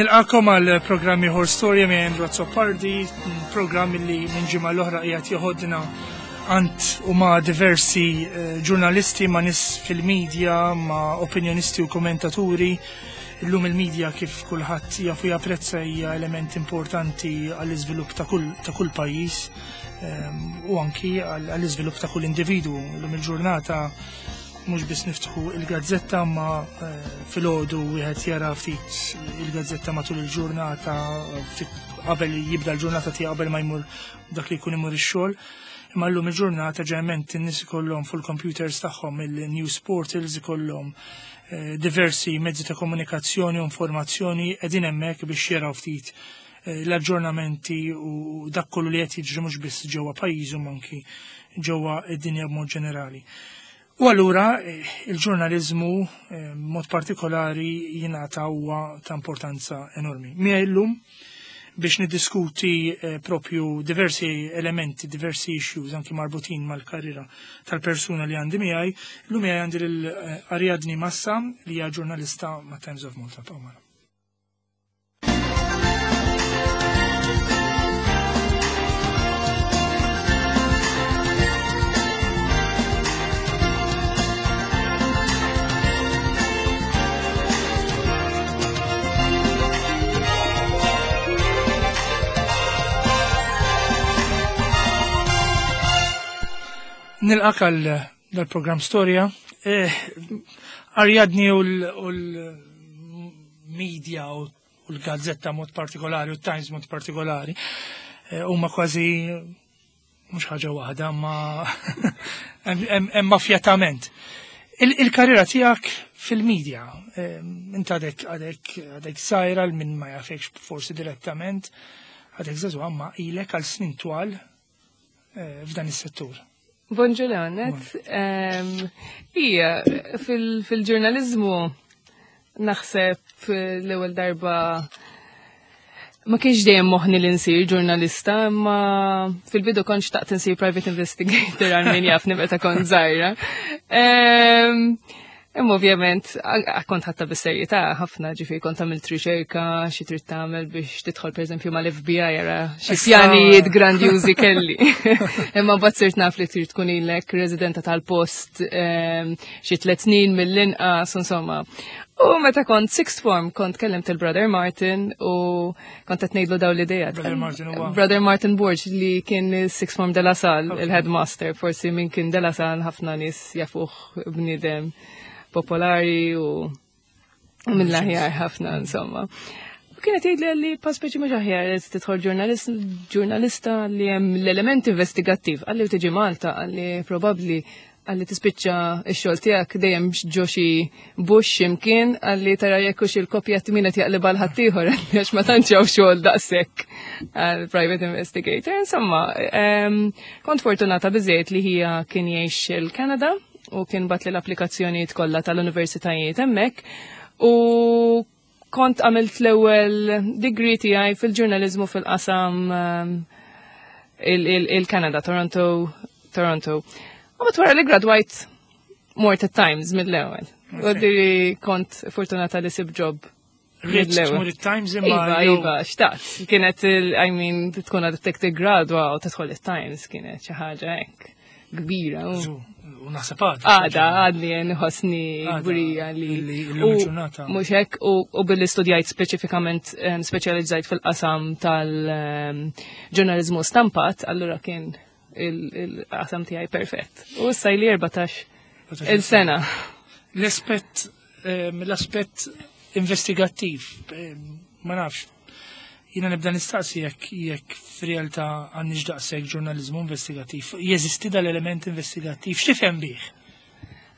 Nilqakom għal programmi ieħor Storja minn Andrew Azzopardi, programm li minn ġimgħa l-oħra qiegħed joħodna għand u ma' diversi eh, ġurnalisti, ma' nis fil-medja, ma' opinjonisti u kommentaturi. Illum il-medja kif kulħadd jafu japprezza hija element importanti għall-iżvilupp ta' kull ta' kull pajjiż ehm, u anki għall-iżvilupp ta' kull individwu. Illum il-ġurnata mhux biss niftħu il-gazzetta ma eh, filgħodu wieħed jara ftit il-gazzetta matul il-ġurnata ftit qabel jibda l-ġurnata tiegħu qabel ma jmur dak li jkun imur ix-xogħol. Imma llum il-ġurnata ġeneralment in-nies ikollhom fuq il-computers tagħhom il-news portals ikollhom eh, diversi mezzi ta' komunikazzjoni u informazzjoni qegħdin hemmhekk biex jaraw ftit eh, l-aġġornamenti u dak kollu li qed jiġri mhux biss ġewwa pajjiżhom anki ġewwa id-dinja b'mod ġenerali. U allura eh, il-ġurnaliżmu mod partikolari jingħata huwa ta' importanza enormi. Miegħi llum biex niddiskuti eh, propju diversi elementi, diversi issues anki marbutin mal-karriera tal-persuna li għandi miegħi. Llum miegħi għandi lil eh, Ariadni Massa li hija ġurnalista ma' Times of Malta. Pawmana. Nilqak għal dal-program Storja. Eh, Ariadni u l-media u l-gazzetta mod partikolari u t-Times mod partikolari eh, huma kważi mhux ħaġa waħda, ma hemm mafjatament. Il-karriera tiegħek fil-medja, eh, int għadek għadek għadek sajra l min ma jafekx forsi direttament, għadek żagħżugħa ma ilek għal snin twal eh, f'dan is-settur. Bonġu Leonet. Ija, fil-ġurnalizmu naħseb l-ewwel darba ma kienx dejjem moħni li nsir ġurnalista, imma fil-bidu kont xtaqt insir private investigator għal min jafni meta kont żgħira. Imma ovvjament, kont ħatta bis-serjetà ħafna ġifieri kont għamilt riċerka xi trid tagħmel biex tidħol pereżempju mal-FBI jara xi pjanijiet grandjużi kelli. Imma mbagħad sirt naf li trid tkun ilek residenta tal-post ehm, xi tliet snin mill-inqas insomma. U meta kont sixth form kont kellimt il-Brother Martin u kont qed ngħidlu dawn l-idea. Brother Martin huwa. Brother Martin Borg li kien sixth form de la Salle, il-headmaster, forsi min kien de la Salle ħafna nies jafuh bniedem popolari u mill-aħjar ħafna insomma. U kienet jgħidli li pa speċi mhux aħjar li tidħol ġurnalista li hemm l-element investigattiv, għalli u tiġi Malta, għalli probabbli għalli tispiċċa x-xogħol tiegħek dejjem ġo xi bush imkien għalli tara jekk hux il-kopja min qed jaqlibha l ħaddieħor għax ma tantx hawn xogħol daqshekk għal private investigator. Insomma, kont fortunata biżejjed li hija kien jgħix il-Kanada u kien bat li l-applikazzjonijiet kollha tal-universitajiet hemmhekk u kont għamilt l-ewwel degree tiegħi fil-ġurnaliżmu fil-qasam il-Kanada, Toronto, Toronto. U bat wara li gradwajt mort at Times mill-ewwel. U diri kont fortunata li sib job Rich tmur it-Times imma. Iva, iva, xtaqt. Kienet, I mean, tkun għadek tiggradwa u tidħol it-Times kienet xi ħaġa hekk kbira. U naħseb għadha. Għada, għadni nħossni kburija li. Mhux hekk u billi studjajt speċifikament speċjalizzajt fil-qasam tal-ġurnaliżmu stampat, allura kien il-qasam tiegħi perfett. U issa li 14 il-sena. L-aspett l-aspett investigattiv, ma nafx, Jiena nibda nistaqsi jekk jekk f'realtà għandniex daqshekk ġurnaliżmu investigattiv. Jeżisti dal-element investigattiv, x'tifhem bih?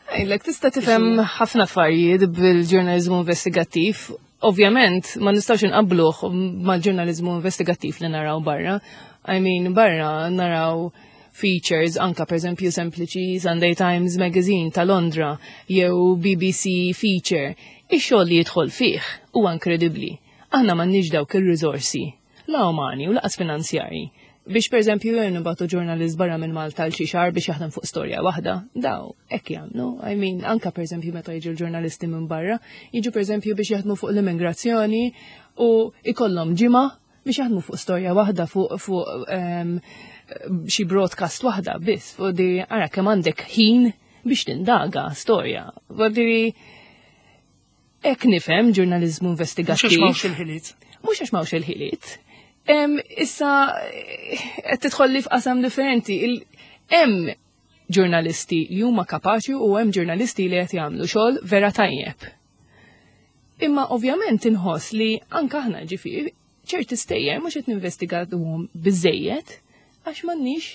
Għajlek, tista' tifhem ħafna affarijiet bil-ġurnaliżmu investigattiv. Ovvjament, ma nistgħux inqabbluh mal-ġurnaliżmu investigattiv li naraw barra. I mean, barra naraw features anka per eżempju sempliċi Sunday Times Magazine ta' Londra jew BBC feature. Ix-xogħol li jidħol fih huwa inkredibbli. Aħna m'għandniex dawk ir-riżorsi, la umani u laqas finanzjarji. Biex per eżempju jew nibgħatu ġurnalist barra minn Malta għal xi xahar biex jaħdem fuq storja waħda, daw hekk jagħmlu. I mean, anka per eżempju meta jiġu l-ġurnalisti minn barra, jiġu per eżempju biex jaħdmu fuq l-immigrazzjoni u ikollhom ġimgħa biex jaħdmu fuq storja waħda fuq fuq xi broadcast waħda biss, fuq di ara kemm għandek ħin biex tindaga storja. Vuol hekk nifhem ġurnaliżmu investigattiv. Mhux għax m'hawnx il-ħiliet. Mhux għax m'hawnx il-ħiliet. Issa qed tidħol f'qasam differenti. Hemm ġurnalisti li huma kapaċi u hemm ġurnalisti li qed jagħmlu xogħol vera tajjeb. Imma ovvjament inħoss li anke aħna ġifieri ċerti stejjer mhux qed ninvestigaduhom biżejjed għax m'għandniex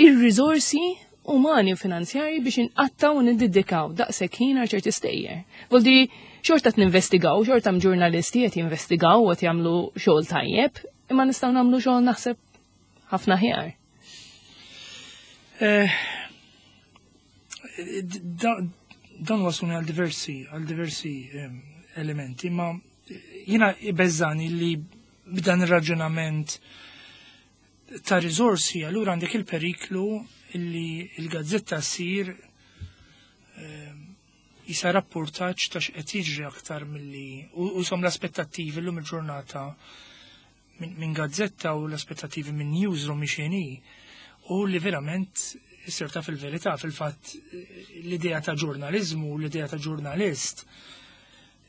ir-riżorsi umani u finanzjarji biex inqattaw u niddedikaw daqshekk ħin għal ċerti stejjer. Voldi xorta qed ninvestigaw, xorta hemm ġurnalisti qed jinvestigaw u qed jagħmlu xogħol tajjeb, imma nistgħu nagħmlu xogħol naħseb ħafna aħjar. Eh, dan wasluni għal diversi għal diversi ehm, elementi, ma jina ibeżżani li b'dan ir-raġunament ta' riżorsi, allura għandek il-periklu li l-gazzetta ssir ehm, jisa rapportaġġ ta' x'qed jiġri aktar milli u som l-aspettattivi llum il-ġurnata minn gazzetta u l-aspettattivi minn newsroom mhix u li verament issir taf il-verità fil-fatt l-idea ta' ġurnaliżmu, l-idea ta' ġurnalist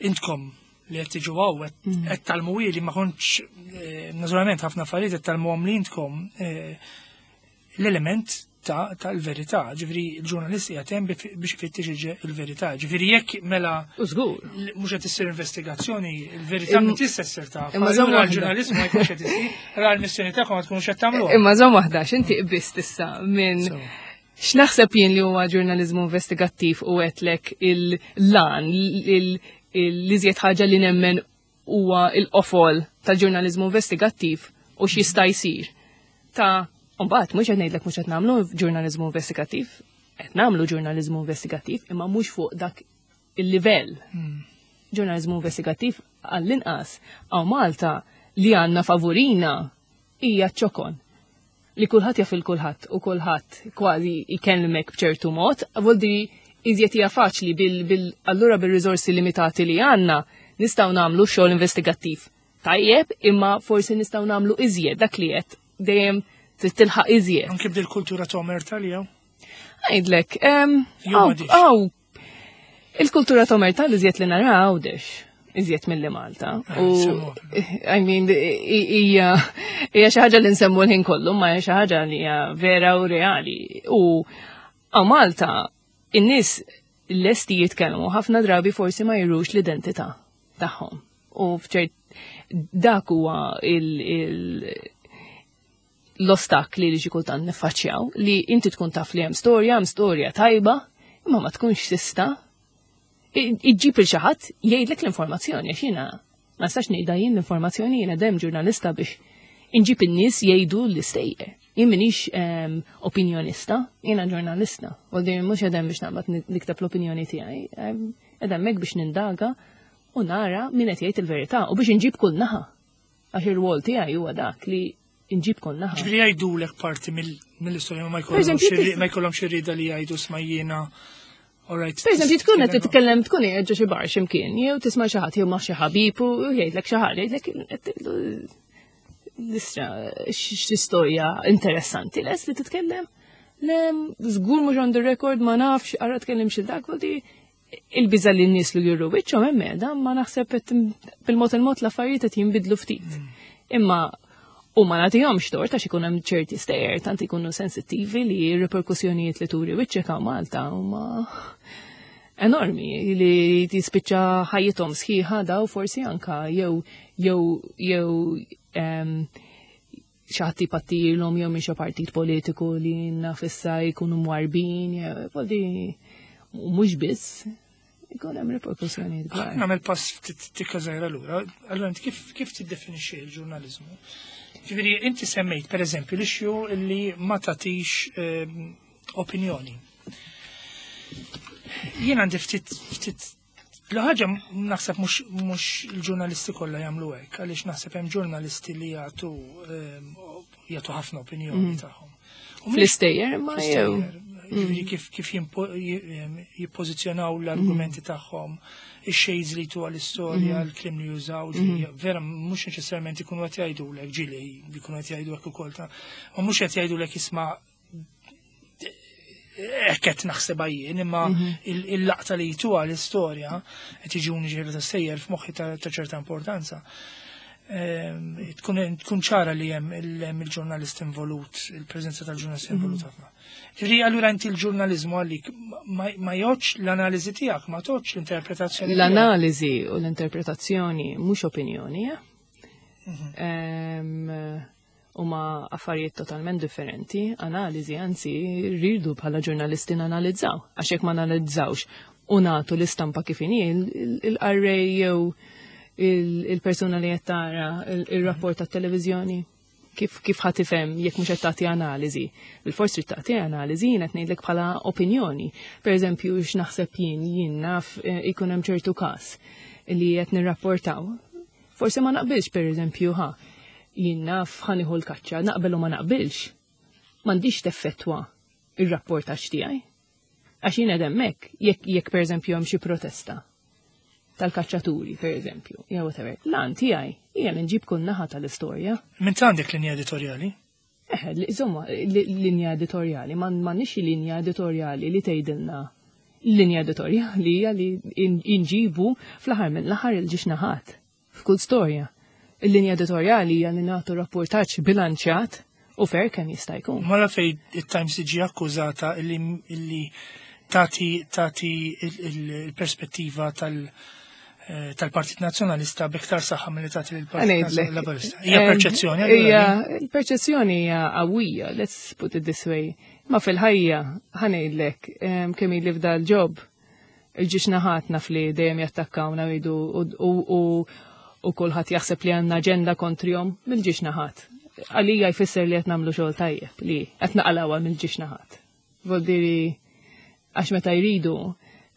intkom li qed tiġu hawn qed mm. talmu li ma kontx eh, naturalment ħafna affarijiet qed talmuhom li intkom eh, l-element tal-verità, ġifieri l-ġurnalist qiegħed hemm biex ifittex il-verità. Ġifieri jekk mela Żgur. Mhux qed issir investigazzjoni, il-verità ma tista' ssir taf. Imma żomm l-ġurnalist ma jkunx qed isir, ra l-missjoni tagħkom ma tkunux qed tagħmluha. Imma żomm waħda, x'inti qbist issa minn X'naħseb jien li huwa ġurnaliżmu investigattiv u għedtlek il-lan, l-iżjed ħaġa li nemmen huwa il-qofol tal-ġurnaliżmu investigattiv u x'jista' jsir. Ta' mbagħad mhux qed ngħidlek mhux qed nagħmlu ġurnaliżmu investigattiv, qed nagħmlu ġurnaliżmu investigattiv imma mhux fuq dak il-livell. Hmm. Ġurnaliżmu investigattiv għall-inqas għaw Malta li għandna favorina hija ċokon li kulħadd jaf il kulħadd u kulħadd kważi jkellmek b'ċertu mod, voldi iżjed hija faċli bil, allura bil-riżorsi limitati li għandna nistgħu nagħmlu xogħol investigattiv. Tajjeb, imma forsi nistgħu nagħmlu iżjed dak li qed dejjem trid tilħaq iżjed. Anke bdil kultura ta' omerta li hawn? Għidlek, għaw, il-kultura ta' omerta li iżjed li nara għawdex iżjed mill-li Malta. Ah, u, I mean, hija xi ħaġa li nsemmu l-ħin kollu, ma hija xi ħaġa li hija vera u reali. U għaw Malta, in-nies lesti jitkellmu ħafna drabi forsi ma jirux l-identità tagħhom. U f'ċert dak huwa il l-ostakli li xi kultant niffaċċjaw li inti tkun taf li hemm storja, hemm storja tajba, imma ma tkunx tista' iġġib il xi ħadd jgħidlek l-informazzjoni għax jiena ma nistax ngħidha jien l-informazzjoni jiena dem ġurnalista biex inġib in-nies jgħidu l-istejjer. Jien minix ehm, opinjonista, jiena ġurnalista. U din mhux qegħdem biex naqbad nikteb l-opinjoni tiegħi, ehm, qed hemmhekk biex nindaga u nara min qed jgħid il-verità u biex inġib kull naħa. Għax ir-rwol tiegħi huwa dak li inġib kull naħa. Ġifieri jgħidulek parti mill-istorja ma jkollhomx irrieda li jgħidu smajjiena. Alright. Per eżempju, tkun qed titkellem tkun qiegħed ġo xi bar x'imkien, jew tisma' xi ħadd jew ma' xi ħabib u jgħidlek xi ħaġa, jgħidlek l-istra xi storja interessanti les li titkellem. Le, żgur mhux on the record ma nafx, ara tkellem xi dak, il-biża li n-nies li juru wiċċhom hemm qiegħda, ma naħseb bil-mod il-mod l-affarijiet qed jinbidlu ftit. Mm. Imma u ma nagħtihomx tort għax ikun hemm ċerti stejjer tant ikunu sensittivi li r-reperkussjonijiet li turi wiċċek hawn Malta huma enormi li tispiċċa ħajjithom sħiħa daw forsi anka jew jew jew xi ħadd jpattilhom jew minn xi partit politiku li naf issa jkunu mwarbin, jew mhux biss, ikun hemm riperkussjonijiet kbar. Nagħmel pass ftit tikka żgħira lura. Allura inti kif kif tiddefinixxi l-ġurnaliżmu? Ġifieri inti semmejt pereżempju l-issue li ma tagħtix ehm, opinjoni. Jien għandi ftit ftit L-ħaġa naħseb mhux il-ġurnalisti kollha jagħmlu hekk, għaliex naħseb hemm ġurnalisti li jagħtu ehm, jagħtu ħafna opinjoni tagħhom. U mhix Fl-istejjer ma jew. fl-istejjer, ġifieri kif jippożizzjonaw l-argumenti tagħhom, ix-shades li tu għall-istorja, l-kliem li jużaw, ġifieri vera mhux neċessarjament ikunu qed jgħidulek, ġieli jkunu qed jgħidu hekk ukoll ta' ma mhux qed jgħidulek isma' hekk qed naħsebha jien, imma il-laqta li jtuha l-istorja qed jiġuni ġieli ta' sejjer f'moħħi ta' ċerta importanza. Tkun ċara li hemm il-ġurnalist involut, il-preżenza tal-ġurnalist involut ħafna. Ġifieri allura inti l-ġurnaliżmu għalik ma jgħodx l-analiżi tiegħek, ma tgħodx l-interpretazzjoni tiegħek. L-analiżi u l-interpretazzjoni mhux opinjoni, eh? Huma affarijiet totalment differenti, analiżi anzi rridu bħala ġurnalisti nanalizzaw, għax jekk ma nanalizzawx u nagħtu l-istampa kif inhi il-qarrej jew il-persuna li qed tara il-rapport tat-televiżjoni kif ħa tifhem jekk mhux qed tagħti analiżi. Bil-fors trid tagħti analiżi, jien qed ngħidlek bħala opinjoni. Per eżempju, x'naħseb jien, jien naf ikun hemm ċertu każ li qed nirrapportaw. Forsi ma naqbilx, per eżempju, ħa jien naf ħa nieħu l-kaċċa, naqbel u ma naqbilx. M'għandix teffettwa ir-rapportaġġ tiegħi. Għax jien qed hemmhekk, jekk per eżempju hemm xi protesta tal-kaċċaturi, per eżempju, jew whatever. L-għan tiegħi hija li nġib kull naħa tal-istorja. Min għandek linja editorjali? Insomma, linja editorjali, ma nix linja editorjali li tgħidilna. Linja editorjali hija li inġibu fl-aħħar minn l-aħħar il-ġiex naħat f'kull storja. Il-linja editorjali hija li nagħtu rapportaġġ bilanċjat u fair kemm jista' jkun. Mela fej it-Times tiġi akkużata illi tati il-perspettiva tal-Partit Nazzjonalista b'iktar saħħa milli tagħti lill-Partit Ngħidlek. Laburista. Hija perċezzjoni, allura Hija din? il-perċezzjoni hija qawwija, let's put it this way. Ma fil-ħajja ħa ngħidlek, kemm ili f'dal job, il-ġiex naħat naf li dejjem jattakkawna jgħidu u kulħadd jaħseb li għandna aġenda kontrihom mill-ġiex naħat. Għalija jfisser li qed nagħmlu xogħol tajjeb li qed naqalawha mill-ġiex naħat. Voldiri għax meta jridu,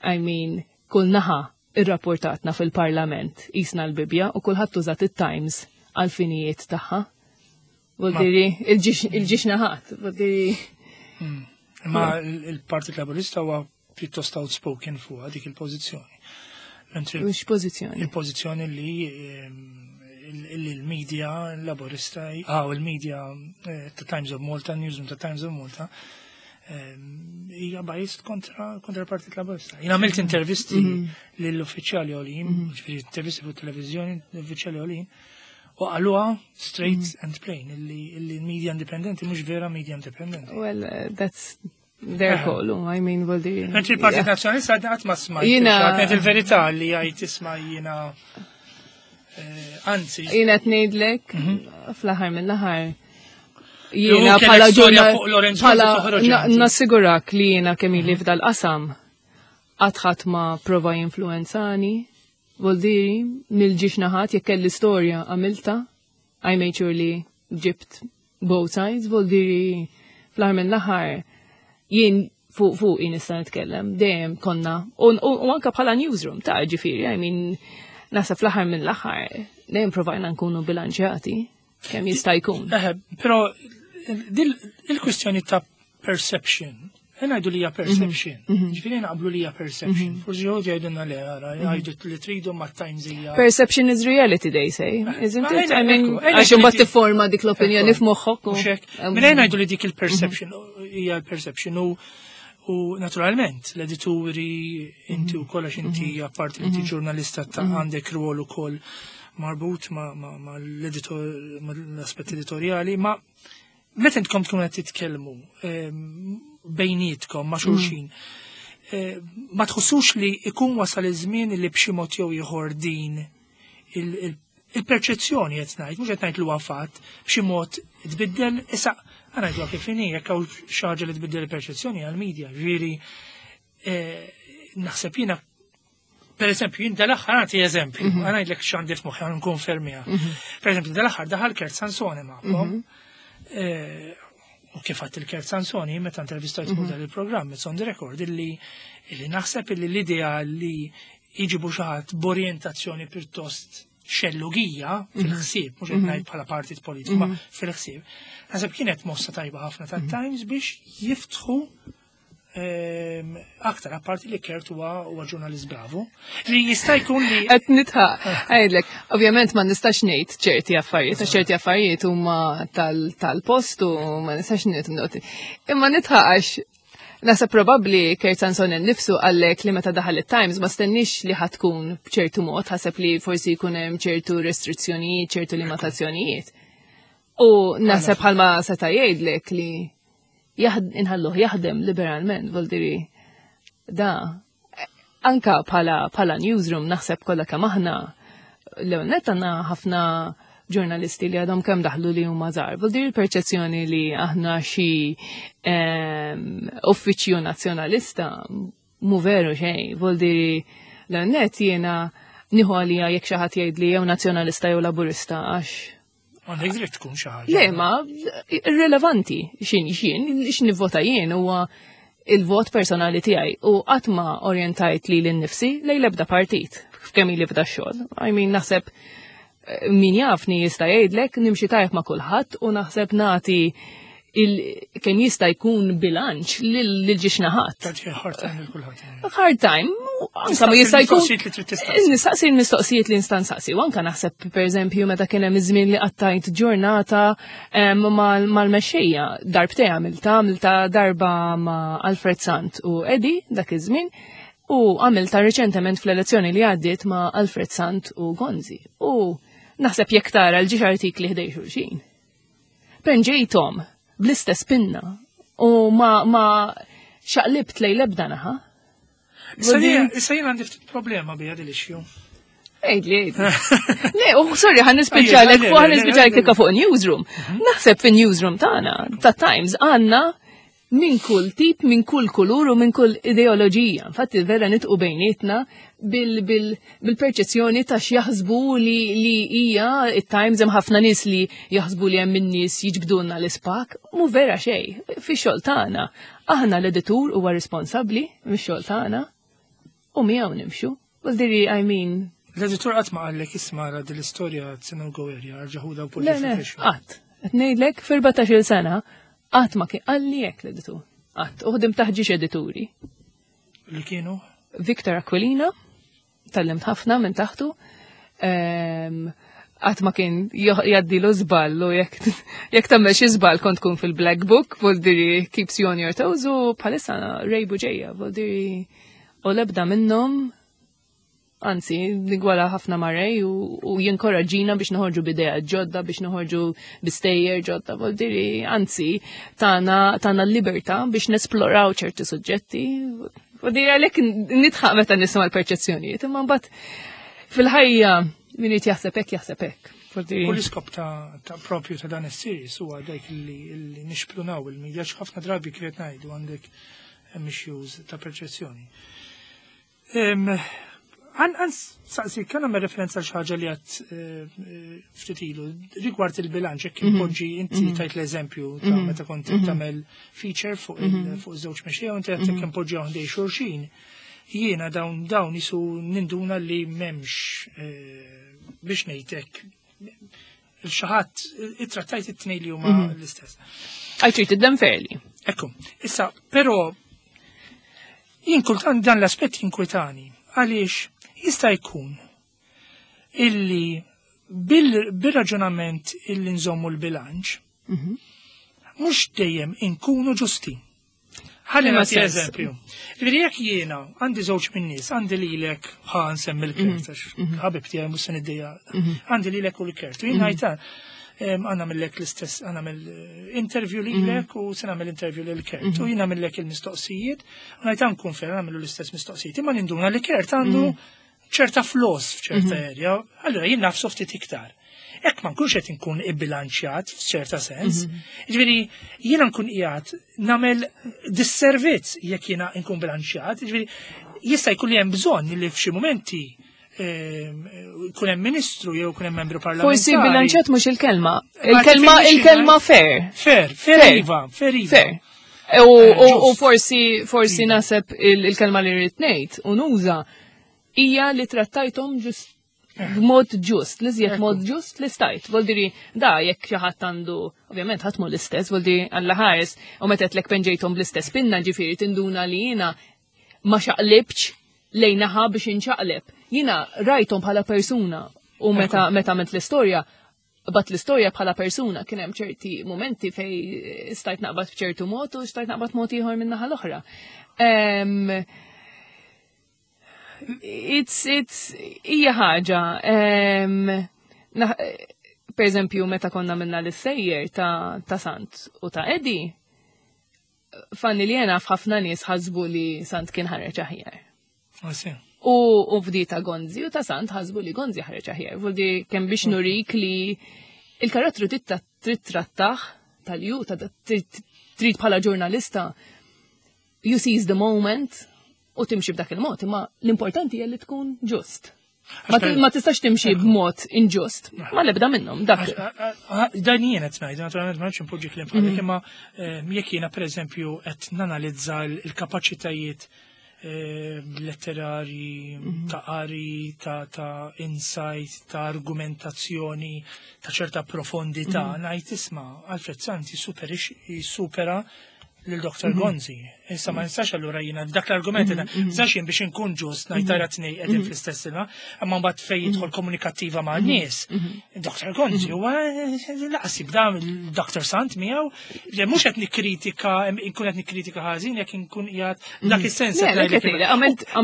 I mean, kull naħa irrapportatna fil-parlament jisna l-Bibja u kulħadd użat it-Times għal finijiet tagħha. Voldiri, il-ġiex naħat, voldiri. Ma il-Partit Laburista huwa pjuttost outspoken fuq dik il-pożizzjoni. Mentri Mhux pożizzjoni. Il-pożizzjoni li il-media laburista, il-media ta' Times of Malta, Newsroom ta' Times of Malta, hija biased kontra l-Partit Laburista. Jien għamilt intervisti lill-uffiċjali għolin, ġifieri intervisti fuq televizjoni l-uffiċjali għolin, u qaluha straight and plain illi l-media indipendenti mhux vera media indipendenti. Well, that's their call, I mean, well, the, Mentri il-Partit yeah. Nazzjonalista għadna qatt ma smajt. Jiena Għed il-verità li jgħid isma' jiena anzi. Jiena qed ngħidlek fl-aħħar mill-aħħar. Jew Jiena kellek bħala storja ġurnal fuq Lorenzo bħala toħroġ inti. nassigurak li jiena kemm ili f'dal-qasam qatt ħadd ma prova jinfluenzani. Voldiri, mill-ġiex naħat jekk kelli storja għamilta, I made sure li ġibt both sides, voldiri fl-aħħar mill-aħħar jien fuq jien nista' nitkellem, dejjem konna, u anka bħala newsroom ta' ġifieri, I mean, naħseb fl-aħħar mill-aħħar dejjem provajna nkunu bilanċjati kemm jista' jkun. Eħe, però il-kwistjoni ta' perception, ngħidu li hija perception, ġifieri naqblu li hija perception, forsi jgħidu jgħidulna le, ara, jgħidu li tridu ma' Times hija. Perception is reality, they say, isn't Ma it? ejna, I mean, ekku, ejna għax imbagħad li tifforma dik l-opinjoni Ekku. f'moħħok u Mhux hekk. Minn ejna ngħidu li dik il-perception hija l-perception u naturalment l-edituri inti u kollox inti apparti li inti ġurnalista ta' għandek rwol ukoll marbut ma' l-editor, ma' l-aspett editorjali, ma' meta intkom tkunu qed titkellmu bejnietkom ma' xulxin, ma tħossux li ikun wasal iż-żmien li b'xi mod jew ieħor din il-perċezzjoni qed ngħid, mhux qed ngħid li huwa fatt, b'xi mod tbiddel, issa ngħidu kif inhi, jekk hawn xi ħaġa li tbiddel il-perċezzjoni għall-medja, ġifieri naħseb jiena per eżempju, jien dal-aħħar nagħti eżempju, ngħidlek x'għandi f'moħħi għan nkonfermiha. Per eżempju, dal-aħħar daħal Kurt Sansone magħkom. U kif għadt il-Kurt Sansone, meta intervistajt fuq dan il-programm, it's on the record, illi naħseb illi l-idea li jġibu xi ħadd b'orjentazzjoni pjuttost xellugija fil-ħsieb, mhux qed ngħid bħala partit politiku, ma fil-ħsieb. Naħseb kienet mossa tajba ħafna tat-Times biex jiftħu aktar, apparti li Kurt huwa ġurnalist bravu. Li jista' jkun li Qed nidħaq, għajdlek, ovvjament ma nistax ngħid ċerti affarijiet, għax ċerti affarijiet huma tal-post u ma nistax ngħid. Imma nidħaq għax naħseb probabbli Kurt Sansone nnifsu qallek li meta daħal it-Times ma stennix li ħa tkun b'ċertu mod, ħaseb li forsi jkun hemm ċertu restrizzjonijiet, ċertu limitazzjonijiet. U naħseb bħalma seta' jgħidlek li inħalluh jaħdem liberalment, vuldiri da anka bħala newsroom naħseb kollha kemm aħna l-ewwel għandna ħafna ġurnalisti li għadhom kemm daħlu li huma żgħar. Vuldiri l-perċezzjoni li aħna xi uffiċċju nazzjonalista mu veru xejn, vuldiri l-net jiena nieħu għalija jekk xi ħadd jgħid li jew nazzjonalista jew laburista għax Għandek dritt tkun xi ħaġa. Le, ma irrelevanti xin x'nivvota jien huwa il-vot personali tiegħi u qatt ma orjentajt li lil-nifsi lejn l-ebda partit f'kemm ili f'da xogħol. I mean, naħseb min jafni jista' jgħidlek nimxi tajjeb ma' kulħadd u naħseb nagħti kemm jista' jkun bilanċ lil ġiex naħat. Tagħti hard time lil kulħadd. Hard time, anka ma jista' jkun. Mistoqsijiet li trid tistaqsi. Nistaqsi l-mistoqsijiet li nista' nsaqsi. U anka naħseb pereżempju meta kien hemm iż-żmien li qattajt ġurnata mal-mexxejja, darbtej għamilta darba ma' Alfred Sant u Eddie dak iż-żmien u għamilta reċentement fl-elezzjoni li għaddiet ma' Alfred Sant u Gonzi. U naħseb jekk tara l-ġiex artikli ħdej xulxin. Penġejthom bl-istess pinna u ma xaqlibt lejn l-ebda naħa. Issa jien għandi ftit problema biha din l-issue. Għidli, għidli. Le, u sorry, ħan nispiċċalek fuq, ħan nispiċċalek tikka fuq newsroom. Naħseb fin newsroom tagħna, ta' Times, għandna minn kull tip, minn kull kulur u minn kull ideoloġija. Infatti vera nitqu bejnietna bil-perċezzjoni ta' x'jaħsbu li hija it-Times. Hemm ħafna nies li jaħsbu li hemm in-nies jiġbdulna l-ispak, mu vera xejn. Fix-xogħol tagħna, aħna l-editur huwa responsabbli mix-xogħol tagħna u miegħu nimxu. Vuldiri, I mean, L-editur qatt ma qallek, "Isma' ra din l-istorja no go area, erġa' ħudha u Le, le, qatt. Qed ngħidlek f'14-il sena qatt ma kien qalli hekk l-editur. Qatt. U ħdim taħt edituri. Li kienu? Victor Aquilina, tgħallimt ħafna minn taħtu. Qatt ma kien jgħaddilu żball u jekk tagħmel xi żball kont tkun fil-Black Book, vuldiri keeps you on your toes, u bħalissa Ray Buġeja, vuldiri u lebda minnhom. Anzi, nigwala ħafna ma' Ray u jinkoraġġina biex noħorġu b'idea ġodda, biex noħorġu b'istejjer ġodda, vuldiri, anzi, tana l-libertà biex nesploraw ċerti suġġetti. Vuldiri għalhekk nidħaq meta nisma' l-perċezzjonijiet, imma mbagħad fil-ħajja min irid jaħseb hekk jaħseb hekk. U l-iskop ta' propju ta' dan is-series huwa dak li nixprunaw il-medja, ħafna drabi kif ngħidu għandek issues ta' perċezzjoni. Għan saqsi, kan għamel referenza xaġa li għat ftit ilu, rigward il-bilanċ, jekk impoġġi inti tajt l-eżempju ta' meta kont tagħmel feature fuq żewġ mexxejja u inti għedt jekk impoġġi ħdej xulxin, jiena dawn jisu ninduna li m'hemmx biex ngħidlek il-xaħat ittrattajt it-tnejn li huma l-istess. I treated them fairly. Ekku, issa, però jien kultant dan l-aspett jinkwitani għaliex jista' jkun illi bil-raġunament illi nżommu l-bilanċ, mhux dejjem inkunu ġusti. Ħalli nagħti eżempju. Ġifieri jekk jiena għandi żewġ min-nies, għandi lilek, ħa nsemmi l-Kurt, għax ħabib tiegħi mhux se niddejja. Għandi lilek u l-Kurt. U jien ngħid għandna millek l-istess, għandna mill interview lilek u se nagħmel interview lil Kurt. U jien nagħmellek il-mistoqsijiet, u ngħid nkun fair nagħmlu l-istess mistoqsijiet. Imma ninduna li Kurt għandu ċerta flaws f'ċerta area, allura jien naf ftit iktar. Ek ma nkunx qed inkun ibbilanċjat f'ċerta sens. Ġifieri jiena nkun qiegħed nagħmel disservizz jekk jiena nkun bilanċjat. Ġifieri jista' jkun li hemm bżonn li f'xi momenti kun hemm ministru jew kun hemm membru parlamentari. Forsi bilanċjat mhux il-kelma. Il-kelma il-kelma fair. Fair, fair iva, fair iva. Fair. U forsi naħseb il-kelma li rrid ngħid u nuża hija li trattajthom ġust B'mod ġust, li żjed mod ġust li stajt. Voldiri, da jekk xi ħadd għandu, ovvjament ħadd mhu l-istess, voldiri Alla ħares, u meta qedlek penġejthom bl-istess pinna, ġifieri tinduna li jiena ma xaqlibx lejn naħa biex inċaqleb. Jiena rajthom bħala persuna u meta meta għamilt l-istorja, bat l-istorja bħala persuna kien hemm ċerti momenti fej stajt naqbad f'ċertu mod u stajt naqbad mod ieħor minn naħa l-oħra. It's, hija ħaġa, per eżempju, meta konna minna l-sejjer ta' Sant u ta' Eddie, fanni li jena f'ħafna nies ħasbu li Sant kien ħareġ aħjar. U fdi ta' Gonzi u ta' Sant ħasbu li Gonzi ħareġ aħjar. Vuldi kemm biex nurik li il-karattru trid trattaħ tal-ju, ta' trid bħala ġurnalista, you seize the moment u timxi b'dak il-mod, imma l-importanti hija li tkun ġust. Ma tistax timxi b'mod inġust, ma lebda minnhom dak. Dan jien qed ngħid, naturalment ma nafx impoġġi kliem bħalek, imma jekk jiena pereżempju qed nanalizza l-kapaċitajiet letterari, ta' qari, ta' insight, ta' argumentazzjoni, ta' ċerta profondità, ngħid isma' Alfred Sant jissupera lil Dr. Gonzi. Issa ma nistax allura jiena dak l-argument nistax jien biex inkun ġust ngħid tara tnej qegħdin fl-istess ilma, imma mbagħad fejn jidħol komunikattiva ma' nies. Dr. Gonzi huwa laqas jibda Dr. Sant miegħu, li mhux qed nikkritika, inkun qed nikkritika ħażin jekk inkun qiegħed dak is-sens.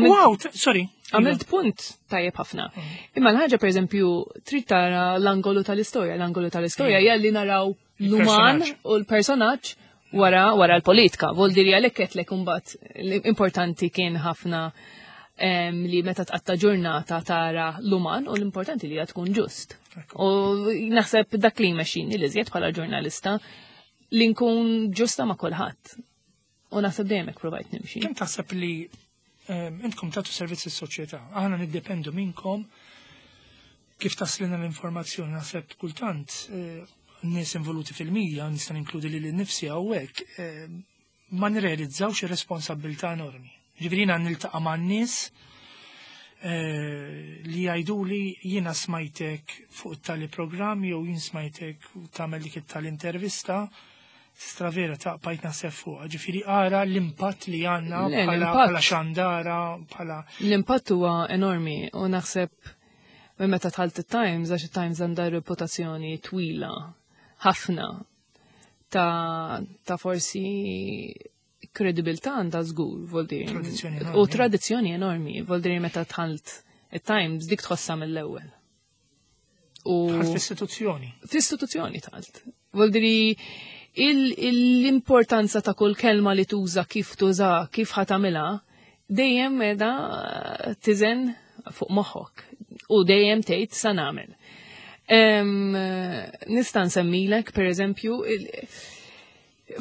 Wow, sorry. Għamilt punt tajjeb ħafna. Imma l-ħaġa pereżempju trid tara l-angolu tal-istorja, l-angolu tal-istorja hija li naraw l-uman u l-personaġġ wara l-politika. Vol diri għalhekk qedlek imbagħad l-importanti kien ħafna li meta tqatta' ġurnata tara l-uman u l-importanti li tkun ġust. U naħseb dak li jmexxini li żjed bħala ġurnalista li nkun ġusta ma' kulħadd. U naħseb dejjem hekk provajt nimxi. Kemm taħseb li intkom tagħtu servizz is-soċjetà? Aħna niddependu minnkom kif taslina l-informazzjoni. Naħseb kultant nies involuti fil-media, nista' ninkludi lili nnifsi hawnhekk, ma nirrealizzawx ir-responsabbiltà enormi. Ġifieri jiena niltaqa' ma' nies li jgħiduli jiena smajtek fuq tali programm jew jien smajtek tagħmel dik it-tal-intervista, stravera ta' bajt naħseb fuqha. Ġifieri ara l-impatt li għandna bħala xandara, bħala L-impatt huwa enormi u naħseb minn meta dħalt it-Times, għax it-Times għandha reputazzjoni twila ħafna ta' forsi kredibilità għandha żgur, vol dire. Tradizzjoni enormi. U tradizzjoni enormi, vol dire meta dħalt it-Times dik tħossha mill-ewwel. U Dħalt fl-istituzzjoni. Fl-istituzzjoni dħalt. Vol dire l-importanza ta' kull kelma li tuża, kif tuża, kif ħatamilha, dejjem meda tiżen fuq moħħok u dejjem tgħid sa nagħmel. Nista' nsemmilek, per eżempju,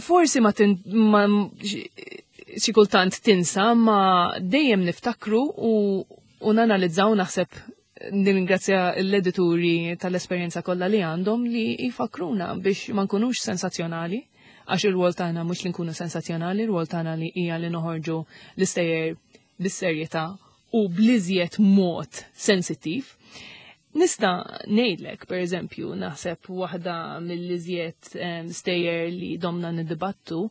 forsi ma ma xi kultant tinsa, ma dejjem niftakru u nanalizzaw. Naħseb nirringrazzja l-edituri tal-esperjenza kollha li għandhom li jfakruna biex ma nkunux sensazzjonali, għax il-rwol tagħna mhux li nkunu sensazzjonali, il-rwol tagħna li hija li noħorġu l-istejjer bis-serjetà u bliżjed mod sensittiv. Nista' ngħidlek, per eżempju, naħseb waħda mill-iżjed stejjer li domna niddibattu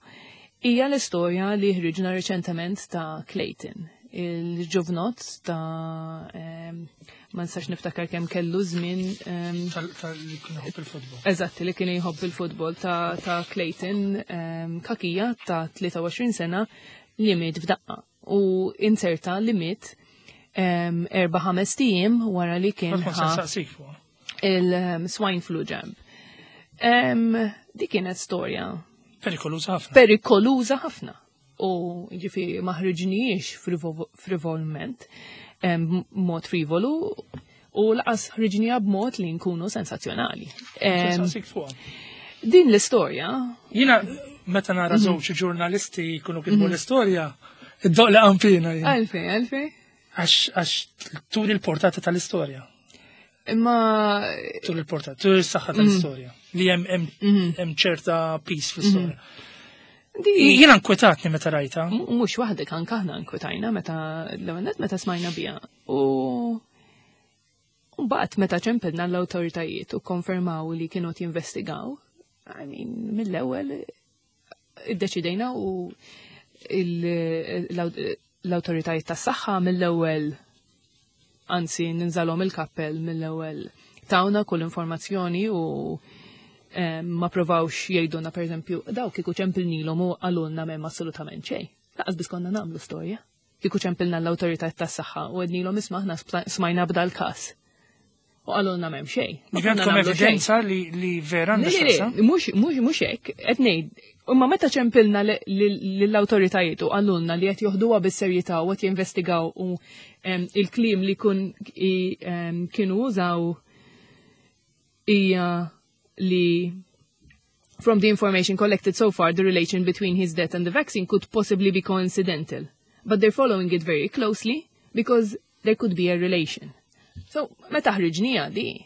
hija l-istorja li ħriġna reċentement ta' Clayton, il-ġuvnot ta' ma nistax niftakar kemm kellu żmien Tal-li kien jħobb il-futbol. Eżatt, li kien jħobb il-futbol ta' Clayton Cachia ta' 23 sena li miet f'daqqa u inserta li miet 4-5 ijiem wara li kien Ma ħa saqsik fuq. il-swine flu jab. Di kienet storja Perikoluża ħafna. Perikoluża ħafna. U ġifieri ma ħriġniex frivolment, mod frivolu, u laqas ħriġnija b'mod li nkunu sensazzjonali. Saqsik fuq. Din l-istorja. Jiena meta nara żewġ ġurnalisti jkunu kitbu l-istorja, id-doq li qanfina jien. Għalfej, għalfej. Għax turi l-portata tal-istorja. Imma Turi l-portata, turi s-saħħa tal-istorja. Li hemm ċerta peace fl-istorja. Jiena nkwetatni meta rajta. Mhux waħdek, anke aħna nkwetajna meta l-ewwel meta smajna biha. U Mbagħad meta ċempilna l-awtoritajiet u konfermaw li kienu jinvestigaw, I mean, mill-ewwel iddeċidejna u l-awtoritajiet tas-saħħa mill-ewwel, anzi ninżalhom il-kappell, mill-ewwel tawna kull informazzjoni u ma provawx jgħidulna, pereżempju, daw kieku ċempilnilhom u qalulna m'hemm assolutament xejn. Lanqas biss konna nagħmlu storja. Kieku ċempilna l-awtoritajiet tas-saħħa u għednilhom, "Isma', aħna smajna b'dal każ." U qalulna m'hemm xejn. Ma konna Għandkom nagħmlu xejn. Evidenza li vera Le, għandha le, x'taqsam? le, mhux hekk, qed ngħid, imma meta ċempilna lill-awtoritajiet u qalulna li qed joħduha bis-serjetà u qed jinvestigaw u il-kliem li kienu użaw hija li "From the information collected so far, the relation between his death and the vaccine could possibly be coincidental. But they're following it very closely because there could be a relation." So, meta ħriġnija di,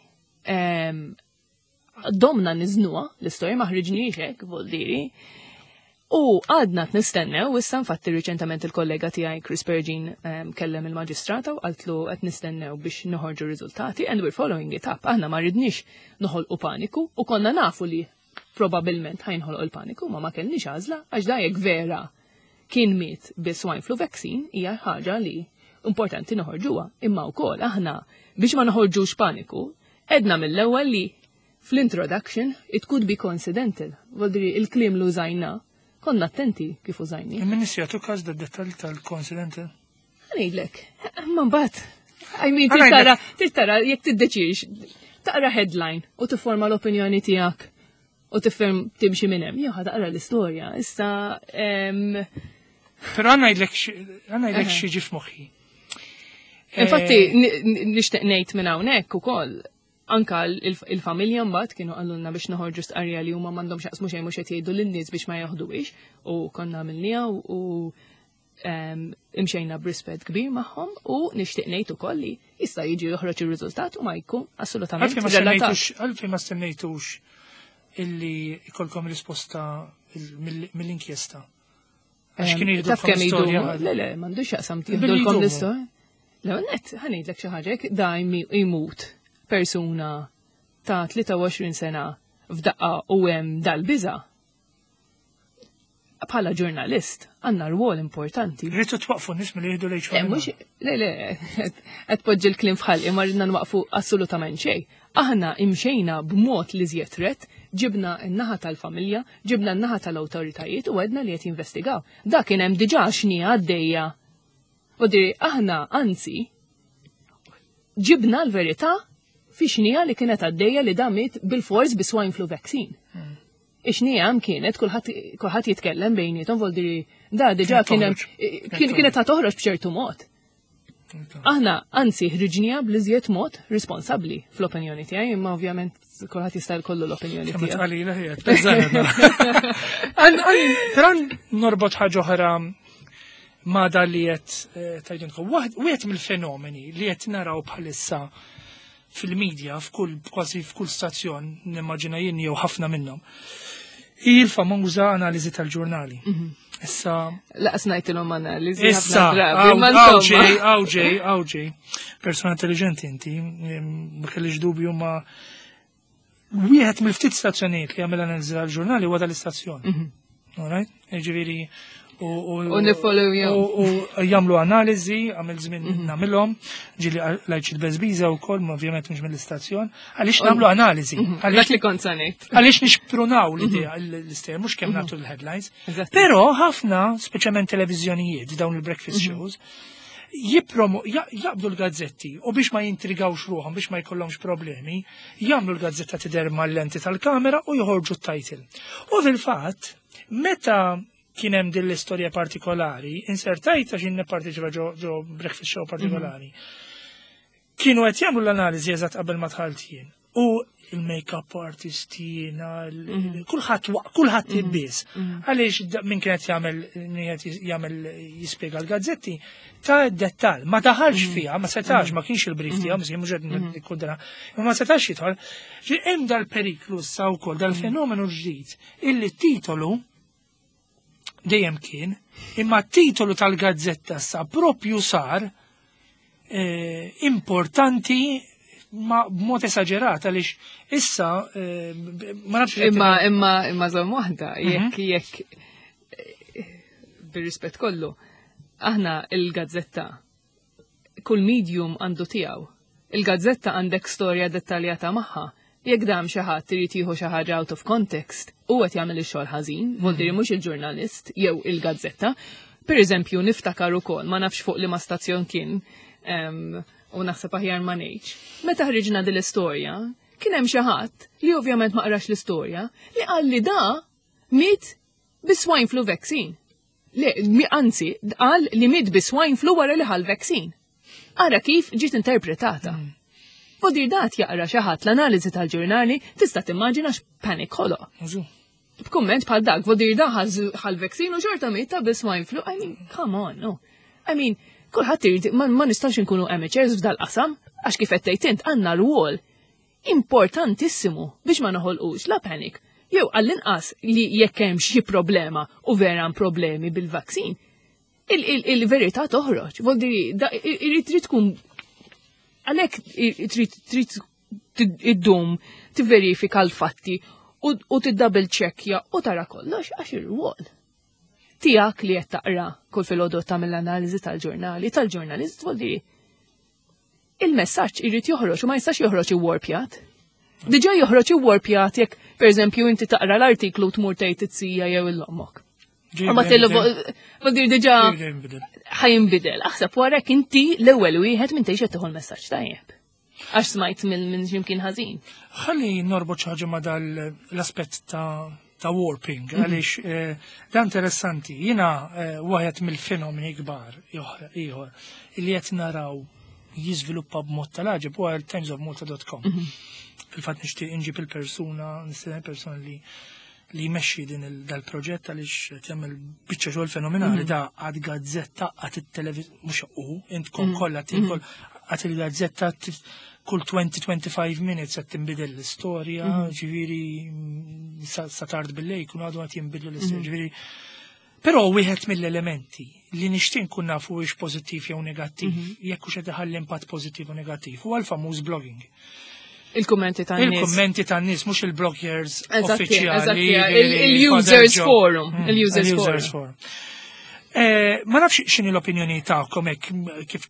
domna niżnuha, l-istorja ma ħriġniex hekk, voldiri. U għadna nistennew, issa infatti riċentament il-kollega tiegħi Chris Pergin kellem il-maġistrata u qaltlu qed nistennew biex noħorġu riżultati and we're following it up. Aħna ma ridniex noħolqu paniku u konna nafu li probabilment ħa jinħoloq il-paniku, ma ma kellniex għażla għax da jekk vera kien miet bi swine flu vaccine hija ħaġa li importanti noħorġuha. Imma wkoll aħna biex ma noħorġux paniku, għedna mill-ewwel li fl-introduction it could be coincidental. Voldiri il-kliem li użajna konna attenti kif użajni. Il-Ministri jagħtu każ da dettal tal-coincidental? Ħa ngħidlek, ma mbagħad. I mean, Ħa ngħidlek. trid tara jekk tiddeċix, taqra headline u tifforma l-opinjoni tiegħek u tifhem timxi minn hemm. Jew ħa taqra l-istorja. Issa Però ħa ngħidlek xi ġie f'moħħi. Infatti, nixtieq ngħid minn hawnhekk ukoll anka il-familja mbagħad kienu qalulna biex noħorġu stqarrija li huma m'għandhomx jaqsmu xejn, mhux qed jgħidu lin-nies biex ma jaħduhiex u konna għamilniha u imxejna b'rispett kbir magħhom u nixtieq ngħid ukoll li jista' jiġi joħroġ ir-riżultat u ma jkun assolutament Għalfejn ma relatat. Għalfejn ma stennejtux illi ikolkom risposta mill-inkjesta? Għax kienu jieħdu Taf kemm storja. idumu? Le, m'għandux jaqsam Billi jieħdulkom jdumu. l-istorja. Le, net, ħa ngħidlek xi ħaġa, jekk da jmut persuna ta' 23 sena f'daqqa u hemm dal-biża'. Bħala ġurnalist għandna rwol importanti. Rridu twaqfu n-nies milli jieħdu Le, l-H1N1. mhux, le, qed poġġi l-kliem f'ħalqi, ma ridna nwaqfu assolutament xejn. Aħna imxejna b'mod li żjed ret, ġibna n-naħa tal-familja, ġibna n-naħa tal-awtoritajiet u għedna li qed jinvestigaw. Da kien hemm diġà xnija għaddejja. U diri, aħna anzi ġibna l-verità fi xnija li kienet għaddejja li da miet bil-fors bi swine flu vaccine. Ix-xnija hemm kienet kulħadd jitkellem bejniethom, voldiri da diġà Kienet kien hemm toħroġ. Kienet ta' toħroġ b'ċertu mod. Aħna anzi ħriġnija bl-iżjed mod responsabbli fl-opinjoni tiegħi, imma ovvjament kulħadd jista' jkollu l-opinjoni Kemm tiegħu. tqalila ħiet, beżgħana. Però norbot ħaġa oħra ma da li qed tgħidilkom. Wieħed mill-fenomeni li qed naraw bħalissa fil-medja, f'kull kważi f'kull stazzjon, nimmaġina jien jew ħafna minnhom, hi l-famuża analiżi tal-ġurnali. Issa Lanqas ngħidilhom analiżi Issa, ħafna drabi, ma insomma. Awġej, awġej, awġej, persona intelligenti inti, ma kellix dubju, ma wieħed mill-ftit stazzjonijiet li jagħmel analiżi tal-ġurnali huwa dal-istazzjon. Alright? Ġifieri U nifollowjahom. U jagħmlu analiżi, għamil żmien nagħmilhom, ġieli lajċ il-beżbiża wkoll, ma ovvjament mhux mill-istazzjon, għaliex nagħmlu analiżi. Dak li kont sa ngħid. Għaliex nixprunaw l-idea l-istejjer, mhux kemm nagħtu l-headlines. Però ħafna, speċjalment televiżjonijiet, dawn il-breakfast shows, jaqbdu l-gazzetti u biex ma jintrigawx ruħhom, biex ma jkollhomx problemi, jagħmlu l-gazzetta tidher mal-lenti tal-kamera u joħorġu t-title. U fil-fatt, meta kien hemm din l-istorja partikolari, insertajt għax jien nipparteċipa ġo breakfast show partikolari. Kienu qed jagħmlu l-analiżi eżatt qabel ma dħalt jien. U il-make-up artist jiena, kulħadd ibbies. Għaliex min kienet jagħmel min qed jagħmel jispjega l-gazzetti ta' dettal, ma daħalx fiha, ma setax, ma kienx il-brief tiegħu, mhux qed nikkundana, ma ma setax jidħol. Ġi hemm dal-periklu issa wkoll, dal-fenomenu ġdid, illi titolu dejjem kien, imma t-titolu tal-gazzetta sa propju sar importanti. ma b'mod esaġerat għaliex issa eh, ma nafx. Imma imma imma żomm waħda mhm. jekk jekk eh, bir-rispett kollu aħna il-gazzetta kull medium għandu tiegħu. Il-gazzetta għandek storja dettaljata magħha. Jekk dam xi ħadd irid jieħu xi ħaġa out of context, u qed jagħmel ix-xogħol ħażin, vuol mhux il-ġurnalist jew il-gazzetta. Per eżempju, niftakar ukoll, ma nafx fuq li ma stazzjon kien, u naħseb aħjar ma ngħidx. Meta ħriġna din l-istorja, kien hemm xi ħadd li ovvjament ma qrax l-istorja li qal li da miet bi swine flu vaccine. Le, anzi, qal li miet bi swine flu wara li ħal vaccine. Ara kif ġiet interpretata. Vodir dat jaqra xi ħadd l-analiżi tal-ġurnali tista' timmaġina x'panic ħoloq. B'kumment bħal dak, vodir da ħal vaccine u xorta miet ta' bi swine flu. I mean, come on, no. I mean, kulħadd irid ma, ma nistax inkunu amateurs f'dal-qasam, għax kif qed tgħid int għandna rwol importantissimu biex ma noħolqux la panic. Jew għall-inqas li jekk hemm xi problema u vera hemm problemi bil-vaccine, il-verità toħroġ. Vuol irid trid tkun għalhekk trid trid iddum tivverifika l-fatti u tiddouble checkja u tara kollox għax ir-rwol tiegħek li qed taqra kull filgħodu tagħmel l-analiżi tal-ġurnali, tal-ġurnalist vuol dire il-messaġġ irid joħroġ u ma jistax joħroġ iwarpjat. Diġà joħroġ iwarpjat jekk pereżempju inti taqra l-artiklu tmur tgħid it-sija jew il-ommok. Ma tellu dir diġà ħa jinbidel. Aħseb wara inti l-ewwel wieħed minn tgħix qed tieħu l-messaġġ tajjeb. Għax smajt minn x'imkien ħażin. Ħalli norbot xi ħaġa ma dal l-aspett ta' warping, għaliex da interessanti. Jiena waħed mill-fenomeni kbar ieħor li qed naraw jiżviluppa b'mod tal-għaġeb huwa timesofmalta.com. Fil-fatt nixtieq inġib il-persuna, nistenna persuna li jmexxi din dal-proġett għaliex qed jagħmel biċċa xogħol fenomenali da għad gazzetta għad it-televiż mhux u intkom kollha tinkol għad il-gazzetta kull 20-25 minutes qed tinbidel l-istorja, ġifieri sa tard bil-lejl jkunu għadu qed jinbidlu l-istorja, ġifieri. Però wieħed mill-elementi li nixtieq nkun nafu hux pożittiv jew negattiv, jekk hux qed iħalli impatt pożittiv u negattiv, huwa l-famuż blogging. Il-kummenti tan-nies. Il-kummenti tan-nies, mhux il-bloggers uffiċjali. Il-users forum. Il-users forum. Ma nafx x'inhi l-opinjoni tagħkom hekk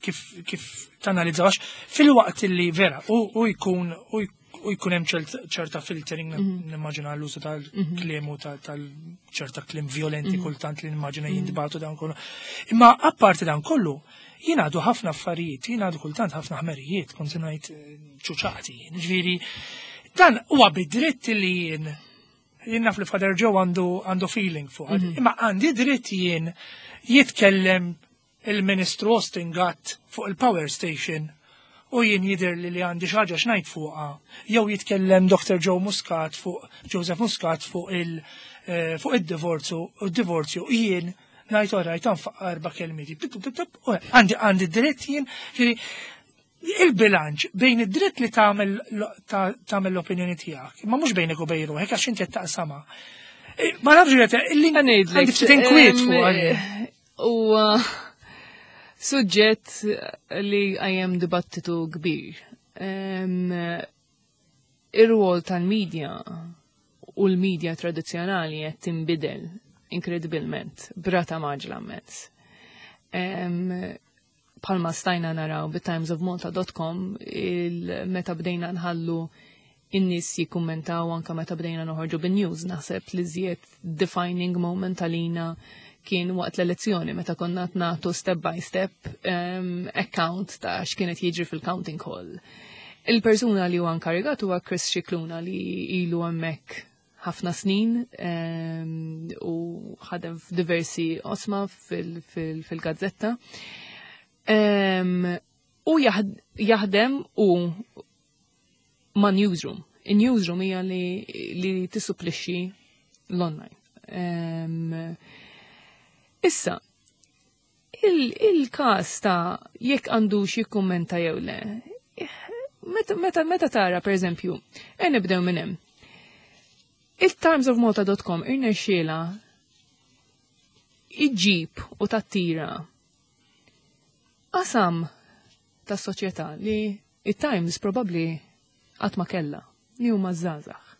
kif tanalizzawx fil-waqt li vera u jkun hemm ċerta filtering, nimmaġina l-użu tal-kliem u tal-ċerta kliem violenti kultant li nimmaġina jintbagħtu dan kollu. Imma apparti dan kollu, jingħadu ħafna affarijiet, jingħadu kultant ħafna ħmerijiet, kont ngħid ċuċati. Ġifieri, dan huwa bidritt li jien naf li Father Joe għandu feeling fuq. Imma għandi dritt jien jitkellem il-Ministru Austin Gatt fuq il-power station u jien jidir li għandi xi ħaġa x'ngħid fuqha. Jew jitkellem Dr. Joe Muscat fuq Joseph Muscat fuq id-divorzju u d-divorzju jien ngħid orajt anfaq erba' kelmieti. Għandi dritt jien il-bilanċ bejn id-dritt li tagħmel l-opinjoni tiegħek, imma mhux bejnek u bejn ruħek għax inti qed taqsama. Ma nafx qed illi għandi ftit inkwiet fuq. U suġġett li għajem dibattitu kbir. Ir-rwol tal-medja u l-medja tradizzjonali qed tinbidel inkredibilment, b'rata mgħaġġla immens. Palma stajna naraw bit-timesofmalta.com il-meta bdejna nħallu in-nies jikkummentaw anka meta bdejna noħorġu bin-news, naħseb li żjed defining moment għalina kien waqt l-elezzjoni meta konna nagħtu step by step account ta' x'kienet jiġri fil-counting hall. Il-persuna li huwa inkarigat huwa Chris Scicluna li ilu hemmhekk ħafna snin u ħadem f'diversi oqsma fil-gazzetta. U jaħdem u ma' newsroom. In-newsroom hija li tissupplixxi l-online. Issa, il-kas ta' jekk għandux jikkummenta jew le, meta tara, per eżempju, e nibdew minn hemm. Il-timesofmalta.com irnexxiela iġġib u tattira qasam ta' soċjetà li It-Times probabbli qatt ma kellha, li huma żgħażagħ.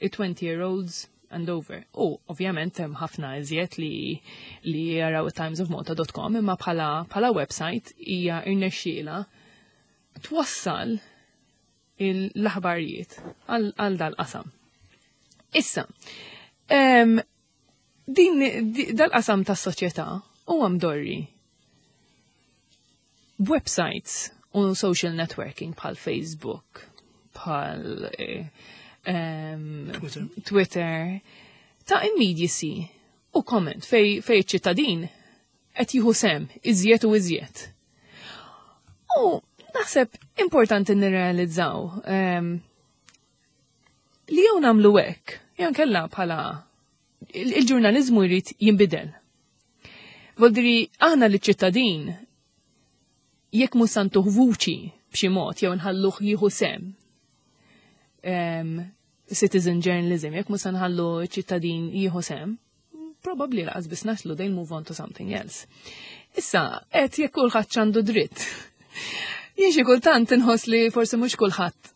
It-20 year olds and over. U ovvjament hemm ħafna iżjed li jaraw timesofmalta.com, imma bħala website hija irnexxiela twassal l-aħbarijiet għal dal-qasam. Issa, din dal-qasam tas-soċjetà huwa mdorri websites u social networking bħal Facebook, bħal Twitter. Twitter, ta' immediacy u comment fej ċittadin qed jieħu sem iżjed u iżjed. U naħseb importanti nirrealizzaw li jew nagħmlu hekk, jew nkella bħala il-ġurnaliżmu jrid jinbidel. Voldiri aħna li ċittadin jekk mhux se ntuh vuċi b'xi mod jew nħalluh jieħu sem, citizen journalism, jekk mhux se nħallu ċittadin jieħu sem, probably laqas biss naslu, they'll move on to something else. Issa, qed jekk kulħadd għandu dritt. Jien xi kultant inħoss li forsi mhux kulħadd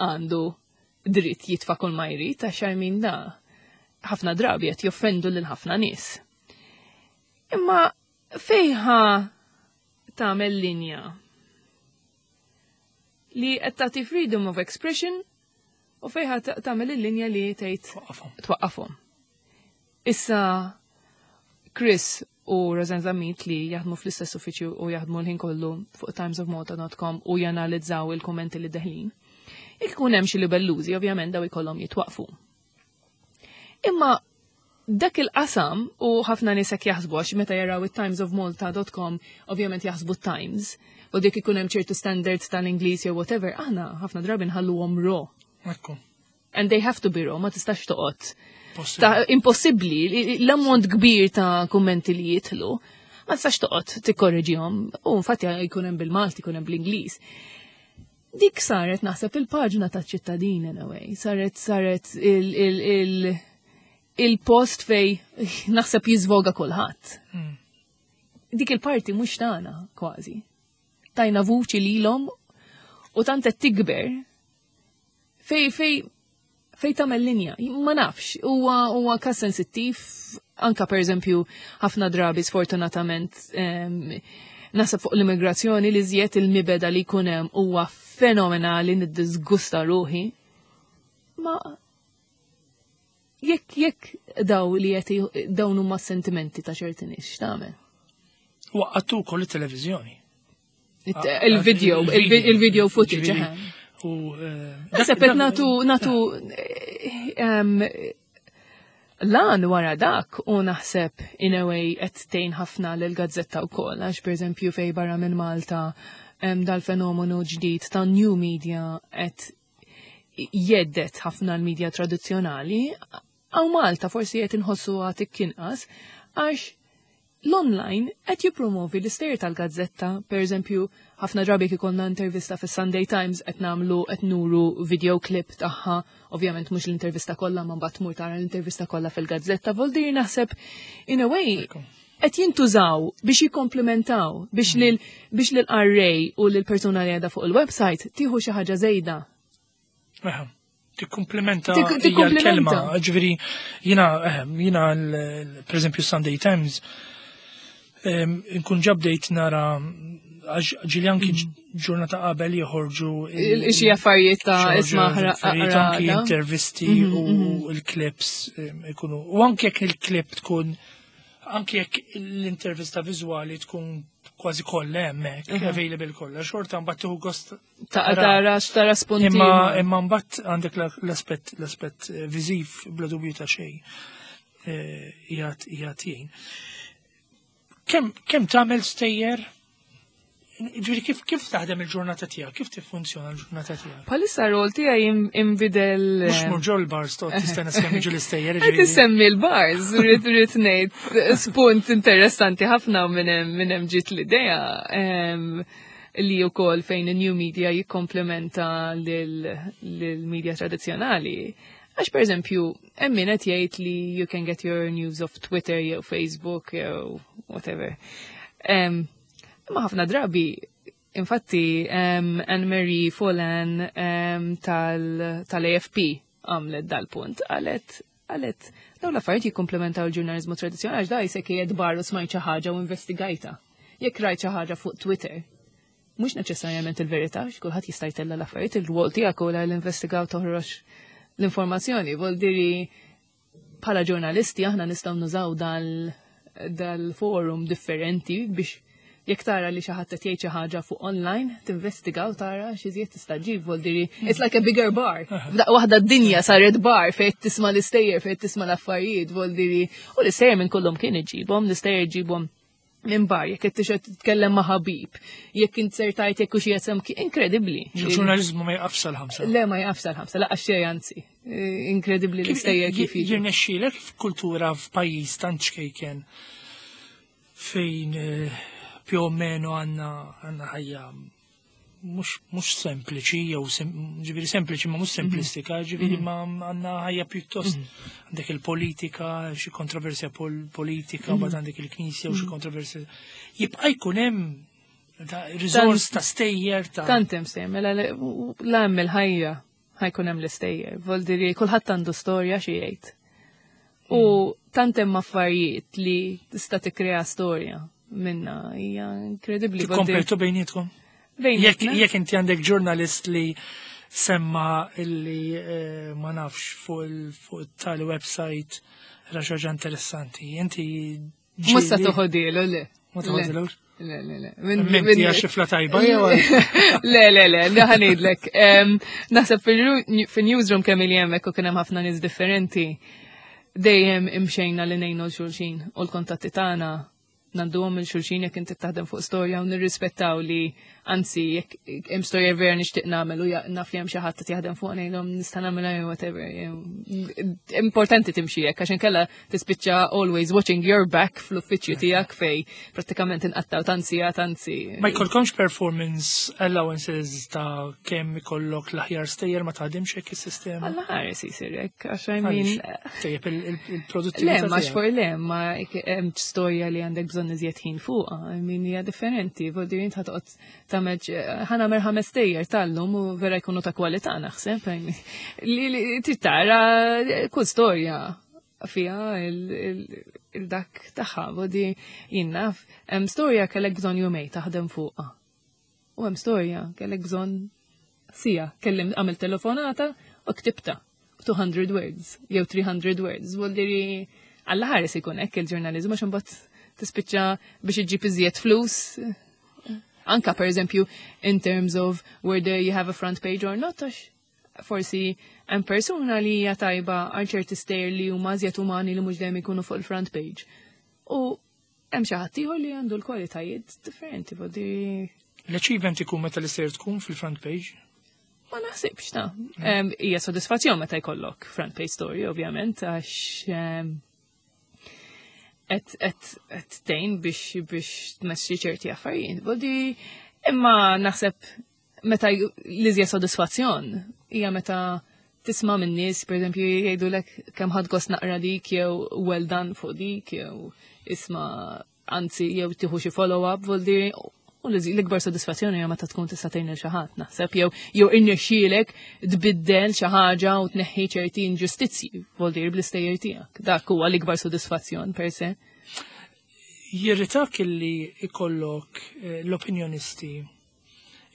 għandu dritt jitfa' kull ma jrid, għax min da ħafna drabi qed joffendu lil ħafna nies. Imma fejn ħa tagħmel linja li qed tagħti freedom of expression u fejn ħa tagħmel il-linja li tgħid Twaqqafhom. Twaqqafhom. Issa Chris u Rosanne Zammit, li jaħdmu fl-istess uffiċju u jaħdmu l-ħin kollu fuq timesofmalta.com u janalizzaw il-kommenti li deħlin. Jekk ikun hemm xi libellużi, ovvjament daw ikollhom jitwaqfu. Imma dak il-qasam, u ħafna nies hekk jaħsbu, għax meta jaraw it-timesofmalta.com ovvjament jaħsbu Times u dik ikun hemm ċertu standards tal-Ingliż jew whatever, aħna ħafna drabi nħalluhom raw. Ekku. And they have to be raw, ma tistax toqgħod Possibbli. Ta' impossibbli, l-ammont kbir ta' kummenti li jitlu, ma tistax toqgħod tikkorreġihom, u infatti jkun hemm bil-Malti, jkun hemm bl-Ingliż. Dik saret naħseb il-paġna ta' ċittadin in a way, saret il-post fej naħseb jizvoga kulħadd. Dik il-parti mhux tagħna kważi. Tajna vuċi lilhom u tant qed tikber fej tagħmel linja. Ma nafx, huwa kas sensittiv, anka per eżempju ħafna drabi sfortunatament naħseb fuq l-immigrazzjoni li żjed il-mibegħda li jkun hemm huwa fenomenali, niddisgusta ruħi. Ma jekk daw li qed dawn huma sentimenti ta' ċerti nies, x'tagħmel? Waqqattu wkoll it-televiżjoni. Il-video, il-video footage. Ġifieri, u Naħseb qed natu lan wara dak u naħseb in a way qed tgħin ħafna lil gazzetta wkoll, għax pereżempju fej barra minn Malta dal-fenomenu ġdid ta' new media qed jeddet ħafna l-media tradizzjonali, għaw Malta forsi qed inħossu għatik kinqas għax l-online qed jippromovi l-istejjer tal-gazzetta. Per eżempju, ħafna drabi kif ikollna intervista fis Sunday Times qed nagħmlu, qed nuru video clip tagħha, ovvjament mhux l-intervista kollha, ma mbagħad tmur tara l-intervista kollha fil-gazzetta. Voldir naħseb in a way qed jintużaw biex jikkomplementaw biex lil qarrej u lil persuna li qiegħda fuq il-website tieħu xi ħaġa żejda. Eħe, tikkumplementa hija Tikkumplementa. l-kelma. Ġifieri, jiena per eżempju Sunday Times, nkun ġabdejt nara għax ġili anki ġurnata qabel joħorġu Xi affarijiet ta' joħorġu isma' affarijiet, anki ħraqra. intervisti u l-clips ikunu. U anki jekk il-clip tkun, anki jekk l-intervista viżwali tkun kważi kollha hemmhekk, available kollha, xorta mbagħad tieħu gost Ta' tara spunti. Imma mbagħad għandek l-aspett viżiv bla dubju ta' xejn qiegħed jgħin. Kemm tagħmel stejjer? Ġifieri kif taħdem il-ġurnata tiegħek? Kif tiffunzjona l-ġurnata tiegħek? Bħalissa rol tiegħi imbidel. Mhux mur ġol bars toqgħod tistenna sakemm jiġu l-istejjer. Qed Ġifieri. isemmi l-bars, rrid ngħid spunt interessanti ħafna minn hemm ġiet l-idea li wkoll fejn il-new media jikkomplementa lil-media tradizzjonali. Għax per eżempju, hemm min qed jgħid li you can get your news off Twitter jew Facebook jew whatever. Imma ħafna drabi Infatti, Anne-Marie Folan tal-AFP għamlet dal-punt, qalet, daw l-affarijiet jikkomplementaw il-ġurnalizmu tradizzjonali għax da jisek qiegħed barru smajt xi ħaġa u investigajta. Jekk rajt xi ħaġa fuq Twitter, mhux neċessarjament il-verità, għax kulħadd jista' jtella' l-affarijiet, il-rwol tiegħek huwa l-investigaw toħroġ l-informazzjoni. Vol diri bħala ġurnalisti aħna nistgħu nużaw dal-forum differenti biex jekk tara li xi ħadd qed jgħid xi ħaġa fuq online, tinvestiga u tara x'iżjed tista' ġib, vol diri it's like a bigger bar. F'daqqa waħda d-dinja saret bar fejn tisma' l-istejjer, fejn tisma' l-affarijiet, vol diri u l-istejjer minn kullhom kien iġibhom, l-istejjer iġibhom minn bar, jekk qed tixgħod titkellem ma' ħabib, jekk inzertajt jekk hux jesem inkredibbli. Il-ġurnaliżmu ma jaqafx sal-5. Le, ma jaqafx sal-5, laqas xejn anzi. Inkredibbli l-istejjer kif jiġu. Jirnexxielek f'kultura f'pajjiż tant ċkejken fejn più o meno għandna ħajja mhux sempliċi, jew ġifieri sempliċi ma mhux semplistika, ġifieri ma għandna ħajja pjuttost għandek il-politika, xi kontroversja politika, mbagħad għandek il-knisja u xi kontroversja. Jibqa' jkun hemm ta' riżors ta' stejjer ta' Tant hemm stejjer, mela la hemm il-ħajja ħajkun hemm l-istejjer. Vol diri kulħadd għandu storja xi jgħid. U tant hemm affarijiet li tista' tikkrea storja minna hija inkredibbli. Tikkompetu bejnietkom? Bejnietna. Jekk inti għandek ġurnalist li semma illi ma nafx fuq it-tali website ra xi ħaġa interessanti, inti Mhux se ġieli toħodilu, le. Ma toħodilux? Le, le, le. Minti hija xifla tajba jew għal- Le, le, le, le, ħa ngħidlek. Naħseb fil-newsroom kemm ili hemmhekk u kien hemm ħafna nies differenti, dejjem imxejna li ngħinu l xulxin u l-kontatti tagħna ngħadduhom il xulxin jekk inti taħdem fuq storja u nirrispettaw li anzi jekk hemm storja vera nixtieq nagħmel u naf li hemm xi ħadd qed jaħdem fuq ngħidhom nista' nagħmilha jew whatever. Importanti timxi hekk għax inkella tispiċċa always watching your back fl-uffiċċju tiegħek fej prattikament inqattaw tanzi tanzi. Ma jkollkomx performance allowances ta' kemm ikollok l-aħjar stejjer, ma taħdimx hekk is-sistema? Alla ħares isir hekk, għax I mean, Għaliex? Tejjeb il-produttività Le, ma tiegħek. xfor le, ma hemm storja li għandek bżonn iżjed ħin fuqha, I mean, hija differenti, vol dir int ħatoqgħod tagħmel ħa nagħmel 5 stejjer tal-lum u vera jkunu ta' kwalità naħseb, I mean, li trid tara kull storja fiha il-dak tagħha, vol dir jien naf, hemm storja kellek bżonn jumej taħdem fuqha. U hemm storja kellek bżonn sija, kellim għamil telefonata u ktibta 200 words jew 300 words. Vol diri alla ħares ikun hekk il-ġurnaliżmu għax imbagħad tispiċċa biex iġġib iżjed flus. Anka per eżempju in terms of whether you have a front page or not, għax forsi hemm persuna li hija tajba għal ċerti stejjer li huma iżjed umani li mhux dejjem ikunu fuq il-front page. U hemm xi ħadd ieħor li għandu l-kwalitajiet differenti, vol diri L-achievement ikun meta l-istejjer tkun fil-front page? Ma naħsibx ta'. Hija sodisfazzjon meta jkollok front page story, ovvjament, għax qed tgħin biex tmexxi ċerti affarijiet. Vol di, imma naħseb meta l-iżjed sodisfazzjon hija meta tisma' minn nies, per eżempju, jgħidulek kemm ħadd gost naqra dik jew well done fuq dik jew isma' anzi jew tieħu xi follow-up, vol di, u l-ikbar sodisfazzjoni hija meta tkun tista' tgħin lil xi ħadd, naħseb, jew irnexxielek tbiddel xi ħaġa u tneħħi ċerti inġustizzji, vol dir bl-istejjer tiegħek. Dak huwa l-ikbar sodisfazzjon per se. Jirritak illi ikollok l-opinjonisti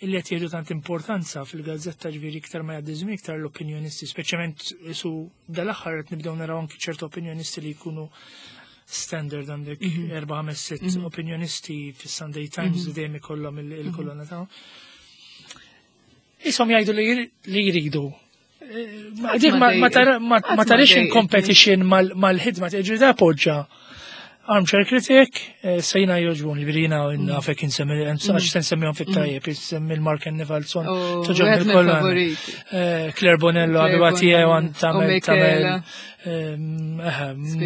illi qed jieħdu tant importanza fil-gazzetta, ġifieri iktar ma jgħaddi żmien iktar l-opinjonisti, speċjalment su dal-aħħar qed nibdew naraw anki ċertu opinjonisti li jkunu standard, għandek 4, 5, 6 opinjonisti fis-Sunday Times li dejjem ikollhom il-kolonna tagħhom. Ishom jgħidu li jridu. Ma Qatt dik ma ma qatt ma tarix in dejqitni. competition mal-ħidma, ġifieri da poġġa armchair critic, sejna joġbuni, ġifieri jiena nafek insemmi, għax se nsemmihom fit-tajjeb, insemmi l-Mark Nevalson, Oh, toġobni wieħed l-kolonna. mill-favoriti. Claire Bonello, Claire għadu għatija, Bonello. għan U tamel, Michela.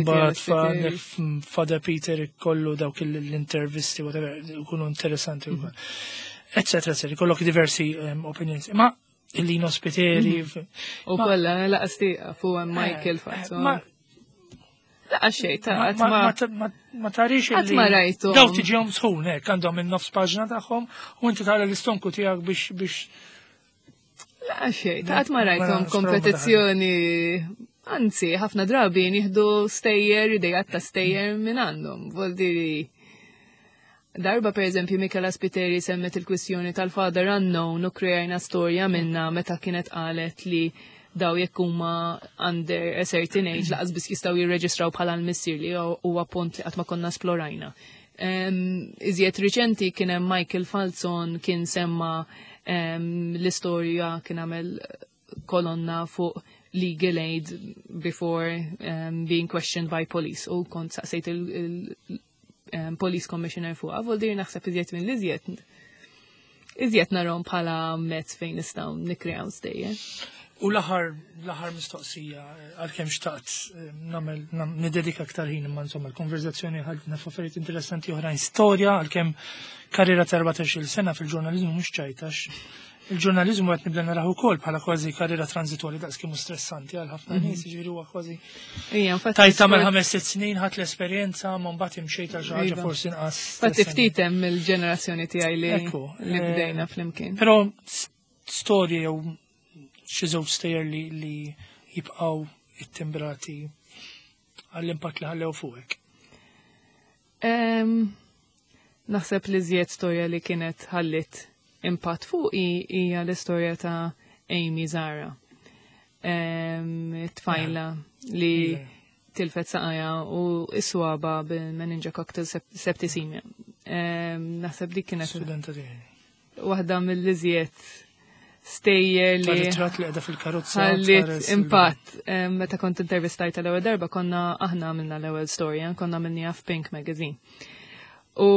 mbagħad Spiteri, Spiteri. Father Peter kollu dawk l-intervisti, whatever, ikunu interessanti wkoll. Eccetera, eccetera, kollok diversi opinions. Ma il-Lino Spiteri. U kollha, laqas tieqa fuq hemm Michael Fazzo. Ma Laqa xejn ta' qatt ma. Ma tarix Qatt ma rajtu. Daw tiġihom sħun hekk għandhom in-nofs paġna tagħhom u inti tara l-istonku tiegħek biex biex Laqa xejn, ta' qatt ma rajthom kompetizzjoni. Anzi, ħafna drabi nieħdu stejjer, idejat ta' stejjer minn għandhom. Voldiri, darba per eżempju Michela Spiteri semmet il-kwistjoni tal-father unknown u krejajna storja minna meta kienet qalet li daw jekk huma under a certain age laqas biss jistgħu jirreġistraw bħala l-missier li huwa punt li qatt ma konna esplorajna. Iżjed riċenti kien hemm Michael Falzon kien semma l-istorja kien għamel kolonna fuq legal aid before being questioned by police u kont saqsejt il-police commissioner fuq. Voldir naħseb iżjed minn l-iżjed iżjed narhom bħala mezz fejn nistgħu nikkreaw stejjer. U l-aħħar l-aħħar mistoqsija għalkemm xtaqt nagħmel nidedika aktar ħin imma insomma l-konverzazzjoni ħadna f'affarijiet interessanti oħrajn storja għalkemm karriera ta' 14-il sena fil-ġurnaliżmu mhux ċajtax. Il-ġurnaliżmu qed nibda naraħ ukoll bħala kważi karriera transitorja daqs kemm stressanti għal ħafna nies, jiġifieri huwa kważi. Tajt tagħmel 5-6 snin ħadd l-esperjenza ma mbagħad imxejt għal xi ħaġa forsi inqas. Fatti ftit hemm il-ġenerazzjoni tiegħi li li bdejna flimkien. Però storja jew xi żewġ stejjer li jibqgħu ittimbrati għall-impatt li ħallew fuqek. Naħseb li żjed storja li kienet ħallit impatt fuqi hija l-istorja ta' Amy Zara. Tfajla li tilfet saqajha u is-swaba bil-meningococcal septicemia. Naħseb dik kienet Studenta tiegħi. waħda mill-iżjed stejjer li Ritrat li qiegħda fil-karozza. Ħallit impatt. Meta kont intervistajta l-ewwel darba konna aħna għamilna l-ewwel storja, konna għamilniha f'Pink Magazine. U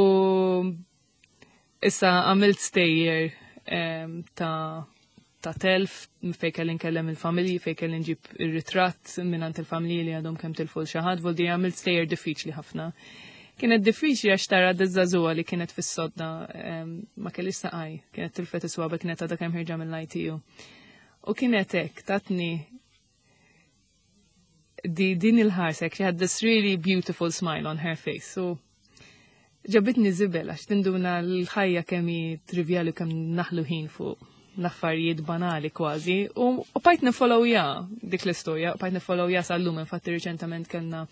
issa għamilt stejjer ta' telf fej kelli nkellem il-familji, fej kelli nġib ir-ritratt minn il-familji li għadhom kemm tilfu xi ħadd, voldi għamilt stejjer diffiċli ħafna. Kienet diffiċli għax tara d-żagħżugħa li kienet fis-sodda ma kellix saqaj, kienet tilfet is-swaba kienet għadha kemm ħirġa mill-ITU. U kienet hekk tatni di din il-ħarsek, she had this really beautiful smile on her face. So ġabitni żibel għax tinduna l-ħajja kemm hi trivjali kemm naħlu ħin fuq l-affarijiet banali kważi u bqajt nifollowja dik l-istorja, bqajt nifollowja sal-lum infatti riċentament kellna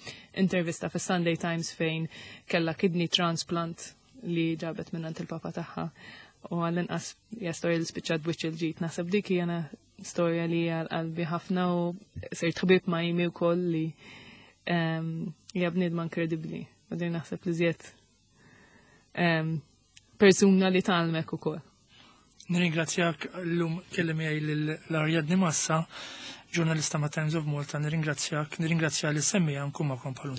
intervista fis Sunday Times fejn kella kidney transplant li ġabet minn il-papa tagħha u għall-inqas hija storja li spiċċat b'wiċċ il-ġid. Naħseb dik hija storja li hija qalbi ħafna u sirt ħbib ma' Amy wkoll li hija bniedma inkredibbli. U din naħseb li żjed persuna li tgħallmek ukoll. Nirringrazzjak l-lum kelli miegħi l-Ariadne Massa, ġurnalista ma' Times of Malta, nirringrazzjak, nirringrazzja li semmi nkun magħkom bħal